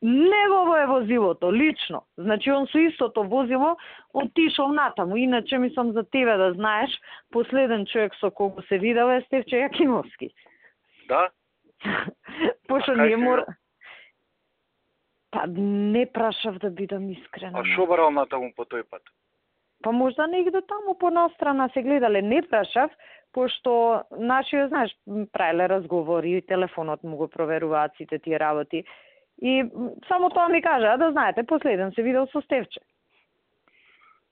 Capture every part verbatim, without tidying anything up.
негово е возилото, лично. Значи, он со истото возило отишол натаму. Иначе, мислам за тебе да знаеш, последен човек со кого се видел е Стефче Јакимовски. Да? Пошто ние мора... Па не прашав да бидам искрена. А шо барал натаму по тој пат? Па можда негде таму по настрана се гледале, не прашав, пошто нашиот, знаеш, правеле разговори, телефонот му го проверуваат сите тие работи. И само тоа ми кажа, да знаете, последен се видел со Стефче.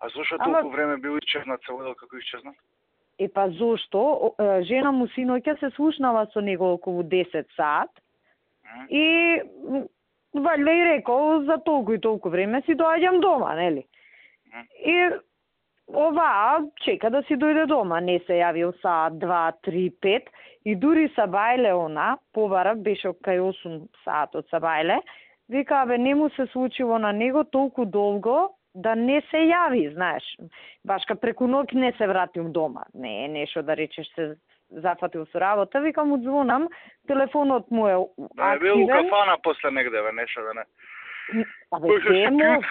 А зошто Ама... толку време бил исчезнат, се водел како исчезнат? Е па зошто? Жена му синоќа се слушнава со него околу десет саат mm. и ваljda и рекол за толку и толку време си доаѓам дома, нели? Mm. И оваа чека да си дојде дома, не се јавил саат, два, три, пет и дури Сабајле она, побара, беше кај осум саат од Сабајле, вика, бе, не му се случило на него толку долго да не се јави, знаеш. Башка преку ноќ не се вратил дома. Не е нешто да речеш се зафатил со работа, вика му звонам, телефонот му е активен. Да, е бил у кафана после негде, бе, нешто да не. Абе, тему...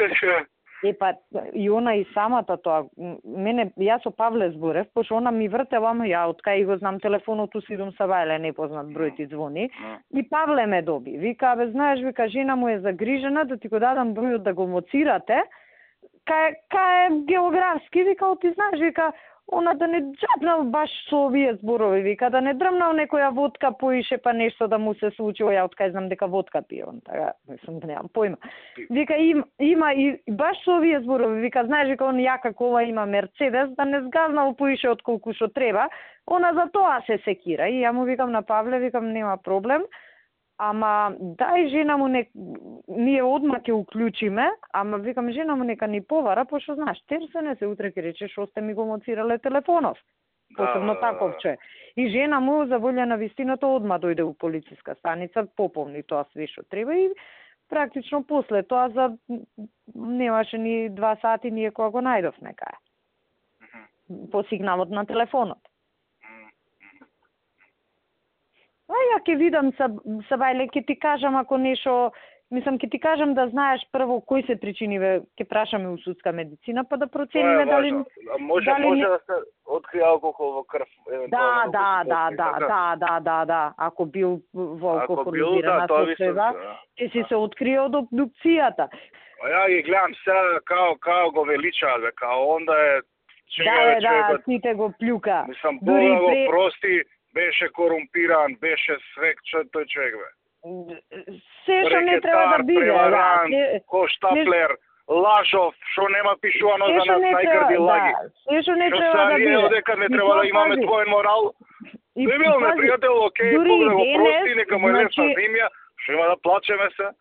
Е, па, и она и самата тоа, мене, јас со Павле зборев, пошто она ми вртела, ама ја, од кај го знам телефонот у Сидом Сабајле, непознат број ти звони, и Павле ме доби. Вика, бе, знаеш, вика, жена му е загрижена, да ти го дадам бројот да го моцирате, кај, кај географски, вика, ти знаеш, вика, она да не джапнал баш со овие зборови, вика, да не дрмнал некоја водка поише, па нешто да му се случило, ја откај знам дека водка пие, он така, мислам, немам појма. Вика, има, има и баш со овие зборови, вика, знаеш, вика, он ја како ова има Мерцедес, да не сгазнал поише од колку што треба, она за тоа се секира. И ја му викам на Павле, викам, нема проблем, ама дај жена му не... ние одма ќе уклучиме, ама викам жена му нека ни повара, пошто знаеш, терсене се утре ќе рече што сте ми го моцирале телефонов. Посебно да, таковче. И жена му за волја на вистината одма дојде у полициска станица, пополни тоа све што треба и практично после тоа за немаше ни два сати ние кога го најдовме кај. По сигналот на телефонот. А ја ќе видам Сабајле, ќе ти кажам ако нешто, мислам ќе ти кажам да знаеш прво кои се причиниве, ќе прашаме у судска медицина па да процениме дали може дали може да се открие алкохол во крв евентуално. Да, да, да, да, да, да, да, да, ако бил во алкохолизирана состојба, ќе си се открие од обдукцијата. А ја ги гледам сега као као го величаат, бе, као онда е чега да, да, сите го плюка. Мислам, Бога го прости, беше корумпиран, беше свек, тој човек, бе. Се што не треба да биде, преваран, да. Коштаплер, лажов, што нема пишувано за нас најгрди лаги. Се што не треба да биде. Што дека не треба да имаме двоен морал. Не бил непријател, окей, Бог да го прости, нека му е лесна земја, што има да плачеме се.